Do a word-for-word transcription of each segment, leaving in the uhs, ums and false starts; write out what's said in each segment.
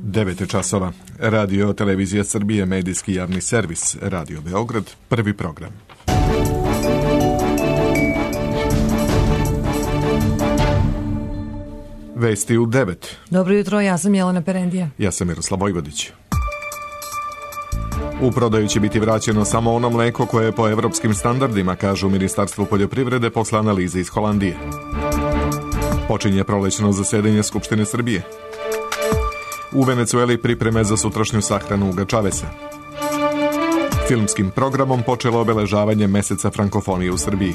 devet časova. Radio Televizija Srbije, medijski javni servis, Radio Beograd, prvi program. Vesti u devet. Dobro jutro, ja sam Jelena Perendija. Ja sam Miroslav Vojvodić. U prodaju će biti vraćeno samo ono mleko koje je po evropskim standardima, kažu u Ministarstvu poljoprivrede posle analize iz Holandije. Počinje prolećno zasedanje Skupštine Srbije. U Venecueli pripreme za sutrašnju sahranu Uga Čavesa. Filmskim programom počelo obeležavanje meseca frankofonije u Srbiji.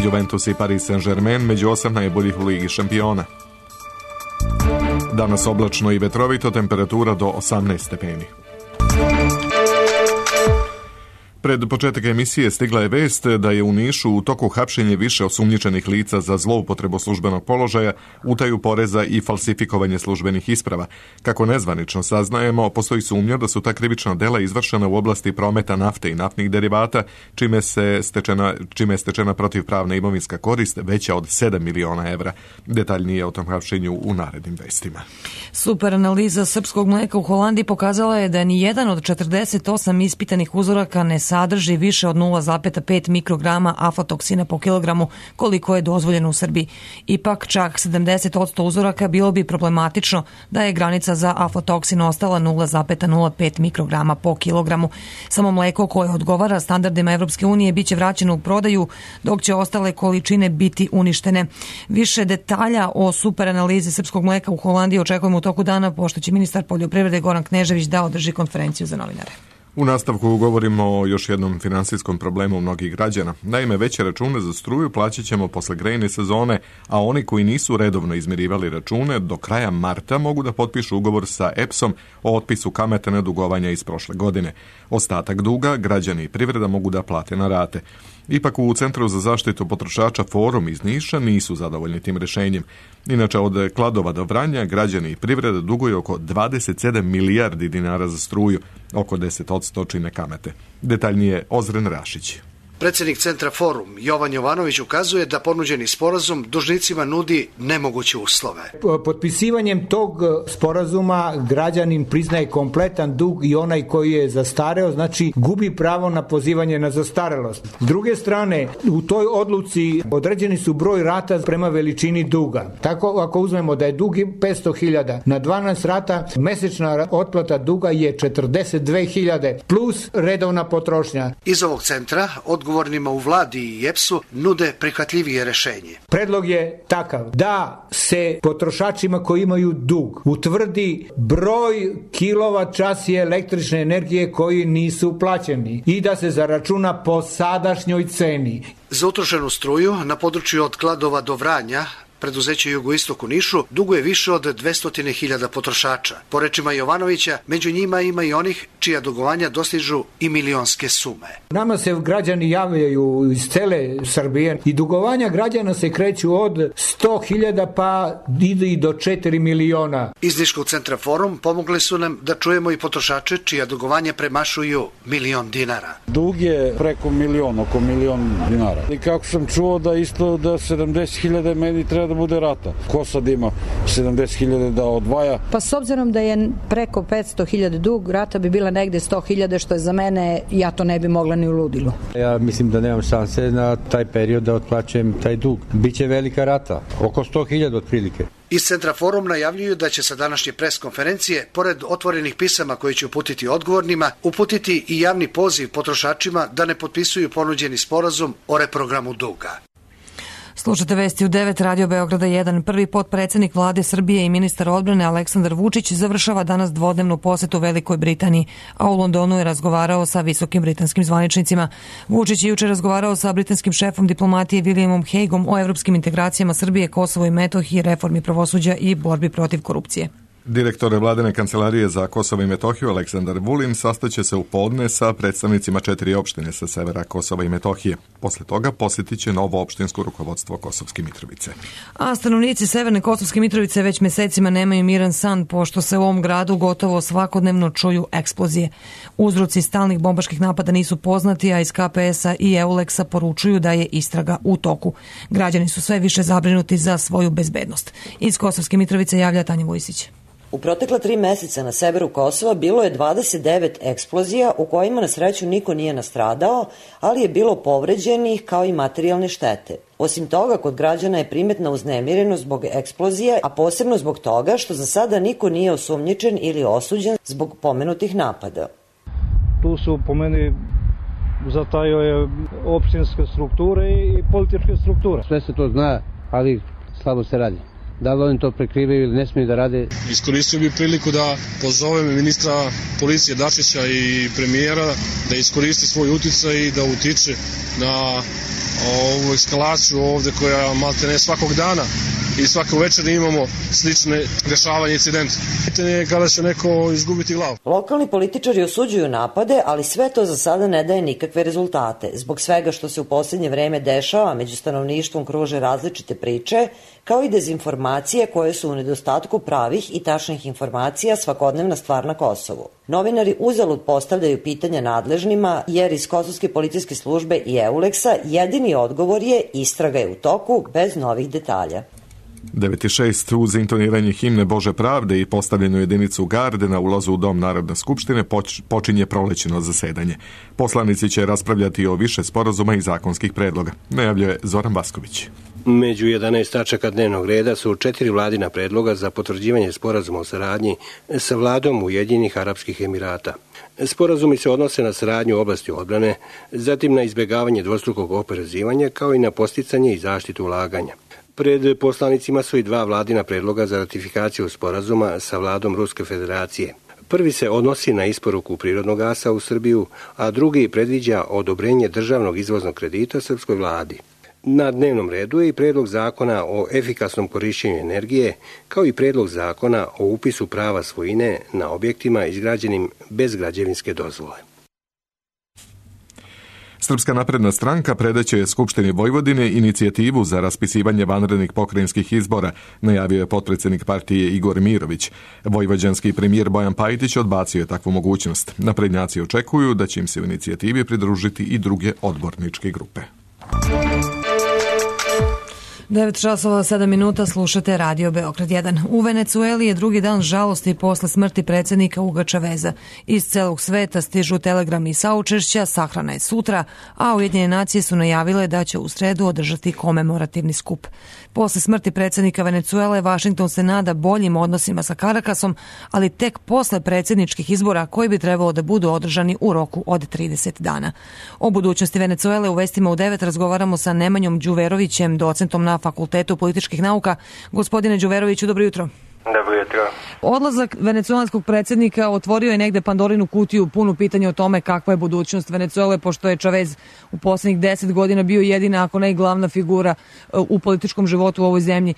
Juventus i Paris Saint-Germain među osam najboljih u Ligi šampiona. Danas oblačno i vetrovito, temperatura do osamnaest stepeni. Pred početak emisije stigla je vest da je u Nišu u toku hapšenje više osumnjičenih lica za zloupotrebu službenog položaja, utaju poreza i falsifikovanje službenih isprava. Kako nezvanično saznajemo, postoji sumnja da su ta krivična dela izvršena u oblasti prometa nafte i naftnih derivata, čime, se stečena, čime je stečena protivpravna imovinska korist veća od sedam miliona evra. Detaljnije o tom hapšenju u narednim vestima. Super analiza srpskog mleka u Holandiji pokazala je da ni jedan od četrdeset osam ispitanih uzoraka ne sadrži više od nula zarez pet mikrograma aflatoksina po kilogramu, koliko je dozvoljeno u Srbiji. Ipak čak sedamdeset posto uzoraka bilo bi problematično da je granica za aflatoksin ostala nula zarez nula pet mikrograma po kilogramu. Samo mleko koje odgovara standardima Evropske unije biće vraćeno u prodaju, dok će ostale količine biti uništene. Više detalja o super analizi srpskog mleka u Holandiji očekujemo u toku dana, pošto će ministar poljoprivrede Goran Knežević da održi konferenciju za novinare. U nastavku govorimo o još jednom finansijskom problemu mnogih građana. Naime, veće račune za struju plaćat ćemo posle grejne sezone, a oni koji nisu redovno izmirivali račune do kraja marta mogu da potpišu ugovor sa E P S-om o otpisu kamate na dugovanja iz prošle godine. Ostatak duga građani i privreda mogu da plate na rate. Ipak u Centru za zaštitu potrošača Forum iz Niša nisu zadovoljni tim rešenjem. Inače, od Kladova do Vranja građani i privreda duguju oko dvadeset sedam milijardi dinara za struju, oko deset posto čine kamate. Detaljnije Ozren Rašić. Predsjednik Centra Forum Jovan Jovanović ukazuje da ponuđeni sporazum dužnicima nudi nemoguće uslove. Potpisivanjem tog sporazuma građanin priznaje kompletan dug i onaj koji je zastareo, znači gubi pravo na pozivanje na zastarelost. S druge strane, u toj odluci određeni su broj rata prema veličini duga. Tako ako uzmemo da je dug petsto hiljada na dvanaest rata, mesečna otplata duga je četrdeset dve hiljade plus redovna potrošnja. Iz ovog centra od odgovornima u vladi i E P S-u nude prihvatljivije rešenje. Predlog je takav da se potrošačima koji imaju dug utvrdi broj kilovat časi električne energije koji nisu plaćeni i da se zaračuna po sadašnjoj ceni. Za utrošenu struju na području od Kladova do Vranja preduzeće Jugoistok u Nišu duguje više od dvesta hiljada potrošača. Po rečima Jovanovića, među njima ima i onih čija dugovanja dostižu i milionske sume. Nama se građani javljaju iz cele Srbije i dugovanja građana se kreću od sto hiljada pa idu i do četiri miliona. Iz Niškog centra Forum pomogli su nam da čujemo i potrošače čija dugovanja premašuju milion dinara. Dug je preko milion, oko milion dinara. I kako sam čuo da isto da sedamdeset hiljada meni treba da bude rata. Ko sad ima sedamdeset hiljada da odvaja? Pa s obzirom da je preko petsto hiljada dug, rata bi bila negde sto hiljada, što je za mene, ja to ne bi mogla ni u ludilu. Ja mislim da nemam šanse na taj period da otplaćujem taj dug. Biće velika rata, oko sto hiljada otprilike. Iz Centra Forum najavljuju da će sa današnje pres konferencije, pored otvorenih pisama koji će uputiti odgovornima, uputiti i javni poziv potrošačima da ne potpisuju ponuđeni sporazum o reprogramu duga. Slušate vesti u devet, Radio Beograda jedan. Prvi potpredsjednik vlade Srbije i ministar odbrane Aleksandar Vučić završava danas dvodnevnu posetu Velikoj Britaniji, a u Londonu je razgovarao sa visokim britanskim zvaničnicima. Vučić je juče razgovarao sa britanskim šefom diplomatije Williamom Hagueom o evropskim integracijama Srbije, Kosovo i Metohiji, reformi pravosuđa i borbi protiv korupcije. Direktor vladine kancelarije za Kosovo i Metohiju Aleksandar Vulin sastaće se u podne sa predstavnicima četiri opštine sa severa Kosova i Metohije. Posle toga posjetit će novo opštinsko rukovodstvo Kosovske Mitrovice. A stanovnici severne Kosovske Mitrovice već mesecima nemaju miran san, pošto se u ovom gradu gotovo svakodnevno čuju eksplozije. Uzroci stalnih bombaških napada nisu poznati, a iz K P S-a i Euleksa poručuju da je istraga u toku. Građani su sve više zabrinuti za svoju bezbednost. Iz Kosovske Mitrovice javlja Tanja Vujsić. U protekla tri meseca na severu Kosova bilo je dvadeset devet eksplozija u kojima na sreću niko nije nastradao, ali je bilo povređenih kao i materijalne štete. Osim toga, kod građana je primetna uznemirenost zbog eksplozije, a posebno zbog toga što za sada niko nije osumnjičen ili osuđen zbog pomenutih napada. Tu su po meni zatajio je opštinske strukture i političke strukture. Sve se to zna, ali slabo se radi. Da li oni to prekrivaju ili ne smiju da rade? Iskoristio bih priliku da pozovem ministra policije Dačića i premijera da iskoristi svoj uticaj i da utiče na ovu eskalaciju ovde koja maltene svakog dana i svako večer imamo slične dešavanja i incidente. Pitanje je kada će neko izgubiti glavu. Lokalni političari osuđuju napade, ali sve to za sada ne daje nikakve rezultate. Zbog svega što se u poslednje vreme dešava, među stanovništvom kruže različite priče, kao i dezinformacije koje su u nedostatku pravih i tačnih informacija svakodnevna stvar na Kosovu. Novinari uzalud postavljaju pitanja nadležnima, jer iz Kosovske policijske službe i Euleksa jedini odgovor je istraga je u toku bez novih detalja. devet šest uz intoniranje himne Bože pravde i postavljenu jedinicu garde na ulazu u Dom Narodne skupštine počinje prolećno zasedanje. Poslanici će raspravljati o više sporazuma i zakonskih predloga, najavljuje Zoran Basković. Među jedanaest tačaka dnevnog reda su četiri vladina predloga za potvrđivanje sporazuma o saradnji sa vladom Ujedinjenih Arapskih Emirata. Sporazumi se odnose na saradnju u oblasti odbrane, zatim na izbjegavanje dvostrukog oporezivanja, kao i na posticanje i zaštitu ulaganja. Pred poslanicima su i dva vladina predloga za ratifikaciju sporazuma sa vladom Ruske federacije. Prvi se odnosi na isporuku prirodnog gasa u Srbiju, a drugi predviđa odobrenje državnog izvoznog kredita srpskoj vladi. Na dnevnom redu je i predlog zakona o efikasnom korišćenju energije, kao i predlog zakona o upisu prava svojine na objektima izgrađenim bez građevinske dozvole. Srpska napredna stranka predaće je Skupštini Vojvodine inicijativu za raspisivanje vanrednih pokrajinskih izbora, najavio je potpredsjednik partije Igor Mirović. Vojvođanski premijer Bojan Pajtić odbacio je takvu mogućnost. Naprednjaci očekuju da će im se u inicijativi pridružiti i druge odborničke grupe. devet časova sedam minuta, slušate Radio Beograd jedan. U Venecueli je drugi dan žalosti posle smrti predsjednika Huga Čaveza. Iz celog sveta stižu telegrami i saučešća, sahrana je sutra, a Ujedinjene nacije su najavile da će u sredu održati komemorativni skup. Posle smrti predsjednika Venecuele, Vašington se nada boljim odnosima sa Karakasom, ali tek posle predsjedničkih izbora koji bi trebalo da budu održani u roku od trideset dana. O budućnosti Venecuele u vestima u devet razgovaramo sa Nemanjom Đuverovićem, docentom na Fakultetu političkih nauka. Gospodine Đuveroviću, dobro jutro. Dobro jutro. Odlazak venecuelanskog predsjednika otvorio je negde Pandorinu kutiju punu pitanja o tome kakva je budućnost Venecuele, pošto je Čavez u posljednjih deset godina bio jedina, ako ne i glavna figura u političkom životu u ovoj zemlji.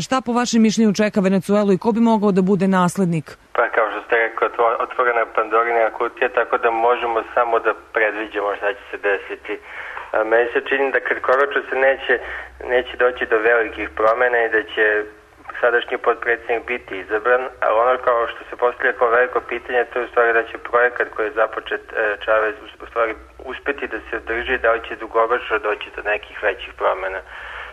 Šta po vašem mišljenju čeka Venecuelu i ko bi mogao da bude naslednik? Pa kao što ste rekao, otvorena Pandorina kutija, tako da možemo samo da predviđamo šta će se desiti. Meni se čini da kratkoročno se neće, neće doći do velikih promjena i da će sadašnji potpredsjednik biti izabran, ali ono kao što se postavlja kao veliko pitanje, to je u stvari da će projekat koji je započet Čavez u stvari uspjeti da se održi, da li će dugoročno doći do nekih većih promjena.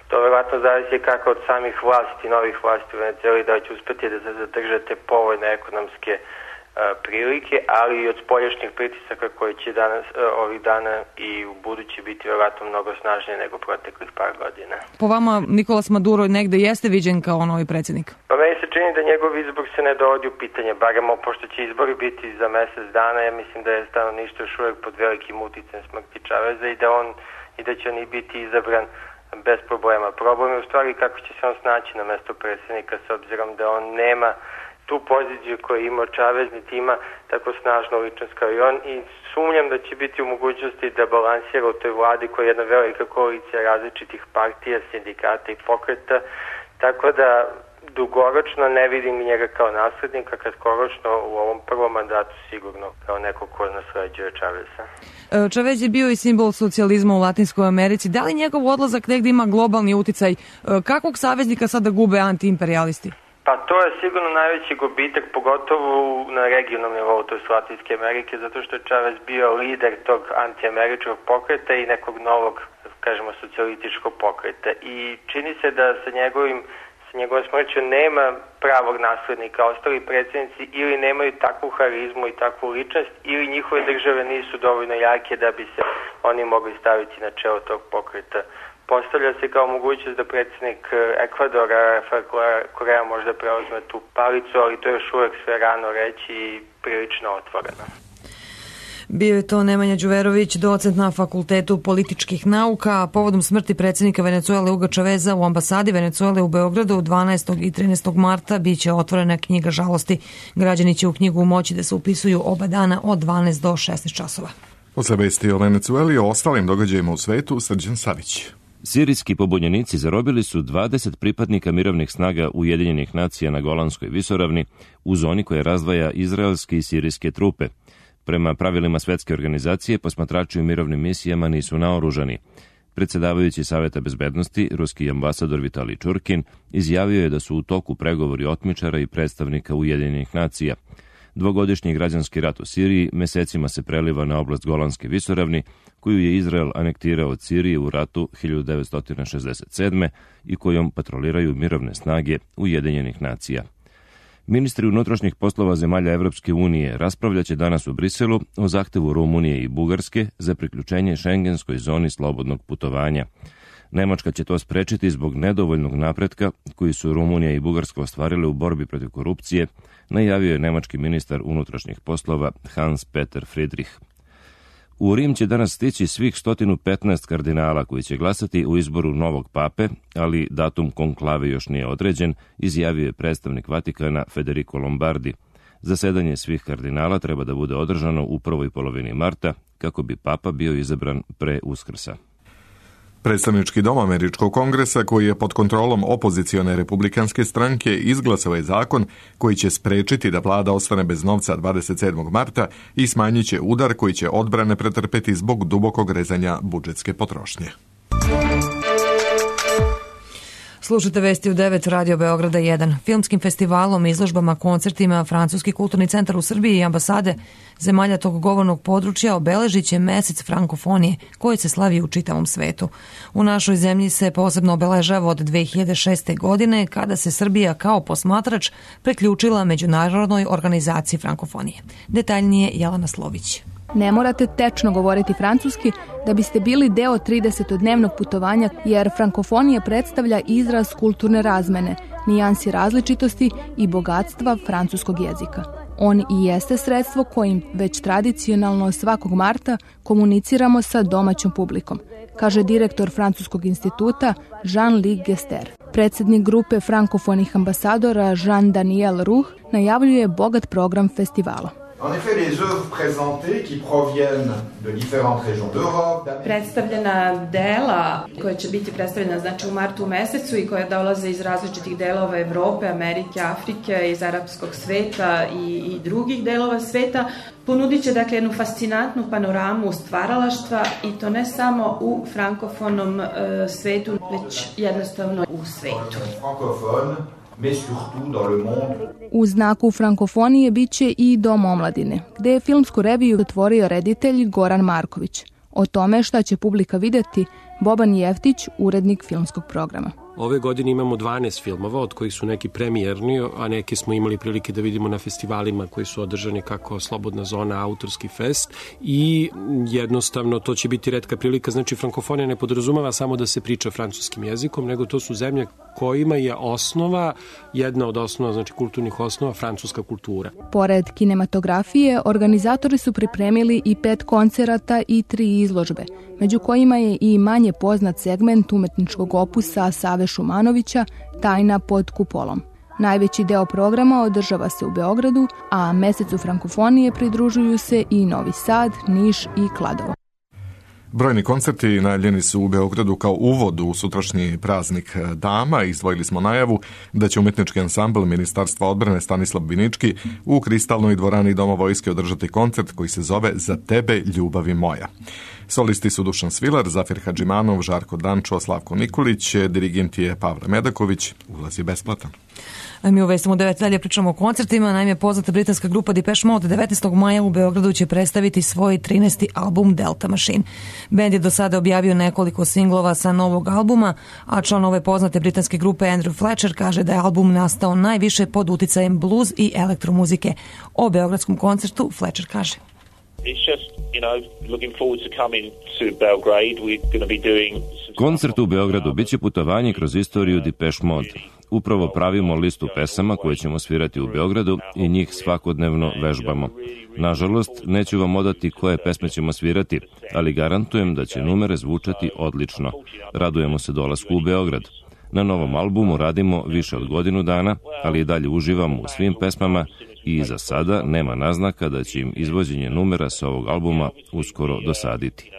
To vjerojatno zavisi kako od samih vlasti, novih vlasti u Venecueli, da će uspjeti da se zadrže te povoljne ekonomske prilike, ali i od spoljašnjih pritisaka koji će danas, ovih dana i u budući biti vjerojatno mnogo snažnije nego proteklih par godina. Po vama Nikolas Maduro negde jeste viđen kao novi predsjednik? Pa meni se čini da njegov izbor se ne dovodi u pitanje, baremo pošto će izbori biti za mjesec dana, ja mislim da je stanovništvo još uvijek pod velikim uticajem smrti Čaveza i da on i da će on i biti izabran bez problema. Problem je u stvari kako će se on snaći na mesto predsjednika s obzirom da on nema tu poziciju koju ima Čavez, niti ima tako snažnu ličnost kao i on i sumnjam da će biti u mogućnosti da balansira u toj vladi koja je jedna velika koalicija različitih partija, sindikata i pokreta, tako da dugoročno ne vidim njega kao naslednika, kratkoročno u ovom prvom mandatu sigurno kao neko ko nasleđuje Čaveza. Čavez je bio i simbol socijalizma u Latinskoj Americi. Da li njegov odlazak negdje ima globalni uticaj? Kakvog saveznika sada gube antiimperialisti? Pa to je sigurno najveći gubitak, pogotovo na regionalnom nivou, to je Latinske Amerike, zato što je Čavez bio lider tog antiameričkog pokreta i nekog novog, kažemo, socijalističkog pokreta. I čini se da sa njegovim sa njegovom smrću nema pravog naslednika. Ostali predsjednici ili nemaju takvu harizmu i takvu ličnost ili njihove države nisu dovoljno jake da bi se oni mogli staviti na čelo tog pokreta. Postavlja se kao mogućnost da predsjednik Ekvadora, Rafael Korea, možda preuzme tu palicu, ali to je još uvek sve rano reći i prilično otvoreno. Bio je to Nemanja Đuverović, docent na Fakultetu političkih nauka. Povodom smrti predsjednika Venecuele Huga Chaveza u ambasadi Venecuele u Beogradu dvanaestog i trinaestog marta biće otvorena knjiga žalosti. Građani će u knjigu moći da se upisuju oba dana od dvanaest do šesnaest časova. Posle vesti o Venecueli i o ostalim događajima u svetu, Srđan Savić. Sirijski pobunjenici zarobili su dvadeset pripadnika mirovnih snaga Ujedinjenih nacija na Golanskoj visoravni u zoni koja razdvaja izraelske i sirijske trupe. Prema pravilima Svetske organizacije, posmatrači u mirovnim misijama nisu naoružani. Predsjedavajući Saveta bezbednosti, ruski ambasador Vitalij Čurkin, izjavio je da su u toku pregovori otmičara i predstavnika Ujedinjenih nacija. Dvogodišnji građanski rat u Siriji mesecima se preliva na oblast Golanske visoravni, koju je Izrael anektirao od Sirije u ratu hiljadu devetsto šezdeset sedme i kojom patroliraju mirovne snage Ujedinjenih nacija. Ministri unutrašnjih poslova zemalja Evropske unije raspravljaće danas u Briselu o zahtevu Rumunije i Bugarske za priključenje šengenskoj zoni slobodnog putovanja. Nemačka će to sprečiti zbog nedovoljnog napretka koji su Rumunija i Bugarska ostvarile u borbi protiv korupcije, najavio je nemački ministar unutrašnjih poslova Hans Peter Friedrich. U Rim će danas stići svih sto petnaest kardinala koji će glasati u izboru novog pape, ali datum konklave još nije određen, izjavio je predstavnik Vatikana Federico Lombardi. Zasedanje svih kardinala treba da bude održano u prvoj polovini marta, kako bi papa bio izabran pre Uskrsa. Predstavnički dom Američkog kongresa, koji je pod kontrolom opozicione republikanske stranke, izglasao je zakon koji će sprečiti da vlada ostane bez novca dvadeset sedmog marta i smanjit će udar koji će odbrane pretrpeti zbog dubokog rezanja budžetske potrošnje. Slušajte vesti u devet Radio Beograda jedan. Filmskim festivalom, izložbama, koncertima Francuski kulturni centar u Srbiji i ambasade zemalja tog govornog područja obeležit će mesec frankofonije koji se slavi u čitavom svetu. U našoj zemlji se posebno obeležava od dve hiljade šeste. godine kada se Srbija kao posmatrač preključila Međunarodnoj organizaciji frankofonije. Detaljnije Jelena Slović. Ne morate tečno govoriti francuski da biste bili deo tridesetodnevnog putovanja, jer frankofonija predstavlja izraz kulturne razmene, nijansi različitosti i bogatstva francuskog jezika. On i jeste sredstvo kojim već tradicionalno svakog marta komuniciramo sa domaćom publikom, kaže direktor Francuskog instituta Jean-Luc Gester. Predsjednik grupe frankofonih ambasadora Jean-Daniel Roux najavljuje bogat program festivala. En effet, les œuvres présentées qui proviennent de différentes régions d'Europe. Predstavljena dela koja će biti predstavljena znači u martu mesecu i koja dolaze iz različitih delova Evrope, Amerike, Afrike, iz arapskog sveta i, i drugih delova sveta, ponudit će dakle jednu fascinantnu panoramu stvaralaštva i to ne samo u frankofonom e, svetu, već jednostavno u svetu. U znaku frankofonije biće i Dom omladine, gde je filmsku reviju otvorio reditelj Goran Marković. O tome šta će publika videti, Boban Jeftić, urednik filmskog programa. Ove godine imamo dvanaest filmova, od kojih su neki premijerni, a neke smo imali prilike da vidimo na festivalima koji su održani kako Slobodna zona, Autorski fest, i jednostavno to će biti retka prilika. Znači, frankofonija ne podrazumeva samo da se priča francuskim jezikom, nego to su zemlje kojima je osnova, jedna od osnova, znači kulturnih osnova, francuska kultura. Pored kinematografije, organizatori su pripremili i pet koncerata i tri izložbe, među kojima je i manje poznat segment umetničkog opusa Save Šumanovića, Tajna pod kupolom. Najveći deo programa održava se u Beogradu, a mesecu frankofonije pridružuju se i Novi Sad, Niš i Kladovo. Brojni koncerti najavljeni su u Beogradu kao uvod u sutrašnji praznik dama. Izdvojili smo najavu da će umetnički ansambl Ministarstva odbrane Stanislav Binički u Kristalnoj dvorani Doma vojske održati koncert koji se zove Za tebe, ljubavi moja. Solisti su Dušan Svilar, Zafir Hadžimanov, Žarko Dančo, Slavko Nikolić, dirigent je Pavle Medaković, ulaz je besplatan. A mi u Vestima u devet dalje pričamo o koncertima. Naime, poznata britanska grupa Depeche Mode devetnaestog maja u Beogradu će predstaviti svoj trinaesti album Delta Machine. Bend je do sada objavio nekoliko singlova sa novog albuma, a član ove poznate britanske grupe Andrew Fletcher kaže da je album nastao najviše pod uticajem blues i elektromuzike. O beogradskom koncertu Fletcher kaže: Koncert u Beogradu biće putovanje kroz istoriju Depeche Mode. Upravo pravimo listu pesama koje ćemo svirati u Beogradu i njih svakodnevno vežbamo. Nažalost, neću vam odati koje pesme ćemo svirati, ali garantujem da će numere zvučati odlično. Radujemo se dolasku u Beograd. Na novom albumu radimo više od godinu dana, ali i dalje uživamo u svim pesmama i za sada nema naznaka da će im izvođenje numera sa ovog albuma uskoro dosaditi.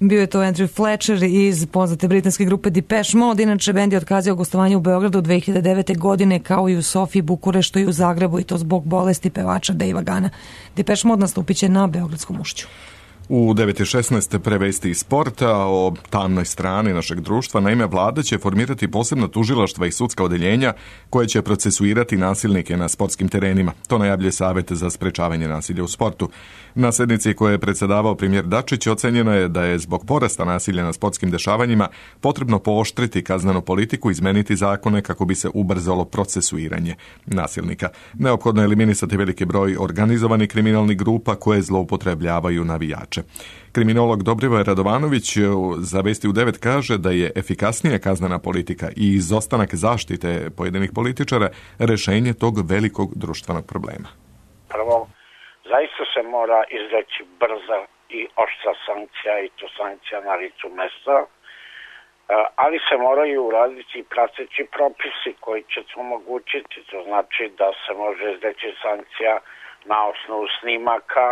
Bio je to Andrew Fletcher iz poznate britanske grupe Depeche Mode. Inače, bend je otkazao gostovanje u Beogradu dve hiljade devete. godine, kao i u Sofiji, Bukureštu i u Zagrebu, i to zbog bolesti pevača Davea Gana. Depeche Mode nastupit će na Beogradskom ušću. U devet i šesnaest prevesti iz sporta o tamnoj strani našeg društva. Naime, vlada će formirati posebna tužilaštva i sudska odeljenja koje će procesuirati nasilnike na sportskim terenima. To najavljuje Savet za sprečavanje nasilja u sportu. Na sednici koje je predsedavao premijer Dačić ocenjeno je da je zbog porasta nasilja na sportskim dešavanjima potrebno pooštriti kaznenu politiku i izmeniti zakone kako bi se ubrzalo procesuiranje nasilnika. Neophodno je eliminisati veliki broj organizovanih kriminalnih grupa koje zloupotrebljavaju navijače. Kriminolog Dobrivoje Radovanović za Vesti u devet kaže da je efikasnija kaznena politika i izostanak zaštite pojedinih političara rešenje tog velikog društvenog problema. Prvo, zaista se mora izreći brza i oštra sankcija, i to sankcija na licu mesta, ali se moraju uraditi i prateći propisi koji će to omogućiti. To znači da se može izreći sankcija na osnovu snimaka,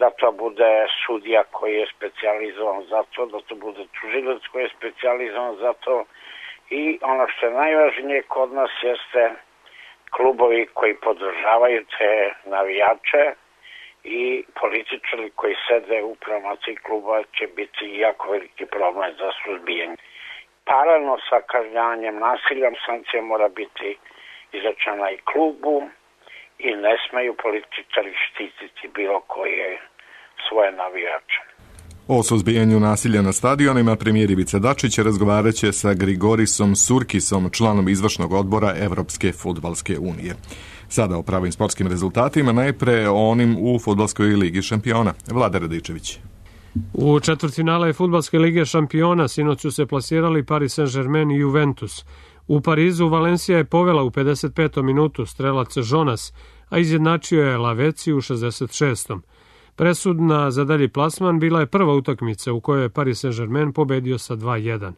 da to bude sudija koji je specijalizovan za to, da to bude tužilac koji je specijalizovan za to, i ono što je najvažnije kod nas jeste klubovi koji podržavaju te navijače i političari koji sede u promociji kluba će biti jako veliki problem za suzbijanje. Paralelno sa kažnjavanjem nasilja, sankcija mora biti izrečena i klubu i ne smeju političari štititi bilo koje svoje navijače. O suzbijanju nasilja na stadionima premijer Ivica Dačić razgovarat će sa Grigorisom Surkisom, članom izvršnog odbora Evropske fudbalske unije. Sada o pravim sportskim rezultatima, najpre o onim u fudbalskoj ligi šampiona. Vlada Radičević. U četvrtfinale fudbalske lige šampiona sinoć su se plasirali Paris Saint-Germain i Juventus. U Parizu Valencija je povela u pedeset petom minutu strelac Jonas, a izjednačio je Laveci u šezdeset šestom Presudna za dalji plasman bila je prva utakmica u kojoj je Paris Saint-Germain pobedio sa dva jedan.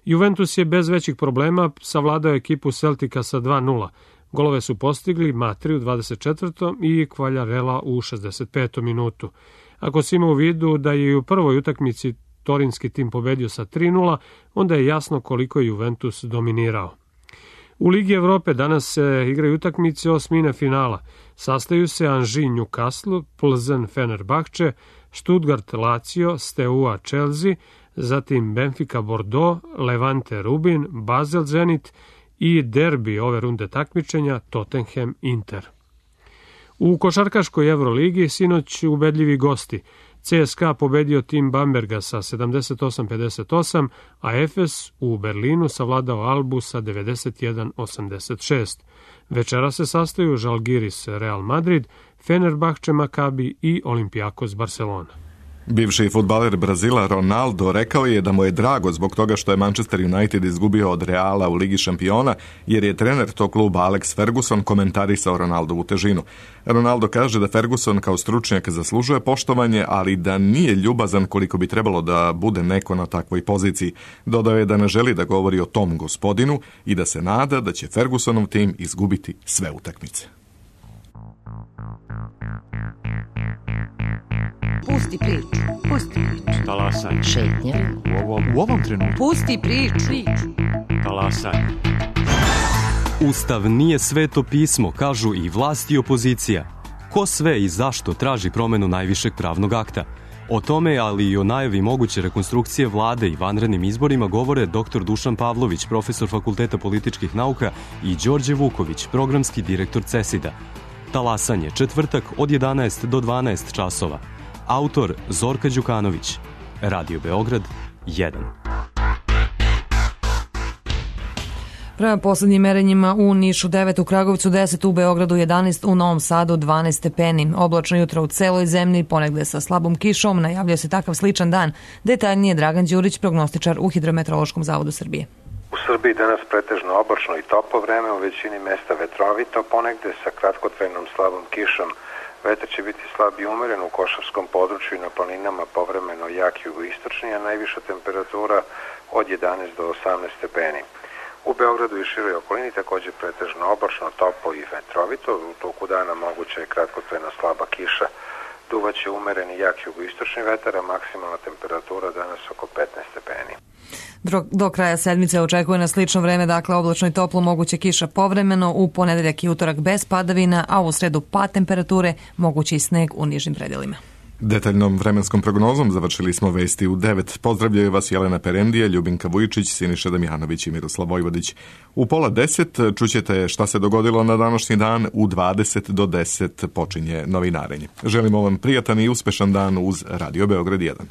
Juventus je bez većih problema savladao ekipu Celtica sa dva nula. Golove su postigli Matri u dvadeset četvrtom i Kvaljarela u šezdeset petom minutu. Ako se ima u vidu da je i u prvoj utakmici torinski tim pobedio sa tri nula, onda je jasno koliko je Juventus dominirao. U Ligi Evrope danas se igraju utakmice osmine finala. Sastaju se Anži Newcastle, Plzen Fenerbahče, Stuttgart Lazio, Steaua Chelsea, zatim Benfica Bordeaux, Levante Rubin, Basel Zenit i derbi ove runde takmičenja Tottenham Inter. U košarkaškoj Evroligi sinoć ubedljivi gosti. C S K A pobedio tim Bamberga sa sedamdeset osam pedeset osam, a Efes u Berlinu savladao Albu sa devedeset jedan osamdeset šest. Večera se sastaju Žalgiris Real Madrid, Fenerbahče Makabi i Olympiakos Barcelona. Bivši fudbaler Brazila Ronaldo rekao je da mu je drago zbog toga što je Manchester United izgubio od Reala u Ligi šampiona, jer je trener tog kluba Alex Ferguson komentarisao Ronaldovu težinu. Ronaldo kaže da Ferguson kao stručnjak zaslužuje poštovanje, ali da nije ljubazan koliko bi trebalo da bude neko na takvoj poziciji. Dodao je da ne želi da govori o tom gospodinu i da se nada da će Fergusonov tim izgubiti sve utakmice. Pusti priču, pusti priču. Talasaj. Šetnja. U ovom, u ovom trenutku. Pusti priču. Talasaj. Ustav nije sveto pismo, kažu i vlast i opozicija. Ko sve i zašto traži promenu najvišeg pravnog akta? O tome, ali i o najavi moguće rekonstrukcije vlade i vanrednim izborima govore doktor Dušan Pavlović, profesor Fakulteta političkih nauka, i Đorđe Vuković, programski direktor CESID-a. Talasanje, četvrtak od jedanaest do dvanaest časova. Autor Zorka Đukanović. Radio Beograd jedan. Prema poslednjim merenjima u Nišu devet, u Kragovicu deset, u Beogradu jedanaest, u Novom Sadu dvanaest stepeni. Oblačno jutro u celoj zemlji, ponegde sa slabom kišom, najavljuje se takav sličan dan. Detaljnije Dragan Đurić, prognostičar u Hidrometeorološkom zavodu Srbije. U Srbiji danas pretežno oblačno i toplo vreme, u većini mesta vetrovito, ponegde sa kratkotrajnom slabom kišom. Vetar će biti slab i umeren u Košarskom području i na planinama, povremeno jak jugoistočni, a najviša temperatura od jedanaest do osamnaest stepeni. U Beogradu i široj okolini takođe pretežno oblačno, toplo i vetrovito, u toku dana moguća je kratkotrajna slaba kiša. Duvaće umereni jak jugoistočni vetar, a maksimalna temperatura danas oko petnaest stepeni. Do kraja sedmice očekuje na slično vreme, dakle oblačno i toplo, moguće kiša povremeno, u ponedeljak i utorak bez padavina, a u sredu pad temperature, mogući i sneg u nižim predelima. Detaljnom vremenskom prognozom završili smo vesti u devet. Pozdravljaju vas Jelena Perendija, Ljubinka Vujičić, Siniša Damjanović i Miroslav Vojvodić. U pola deset čućete šta se dogodilo na današnji dan, u dvadeset do deset počinje novinarenje. Želimo vam prijatan i uspešan dan uz Radio Beograd jedan.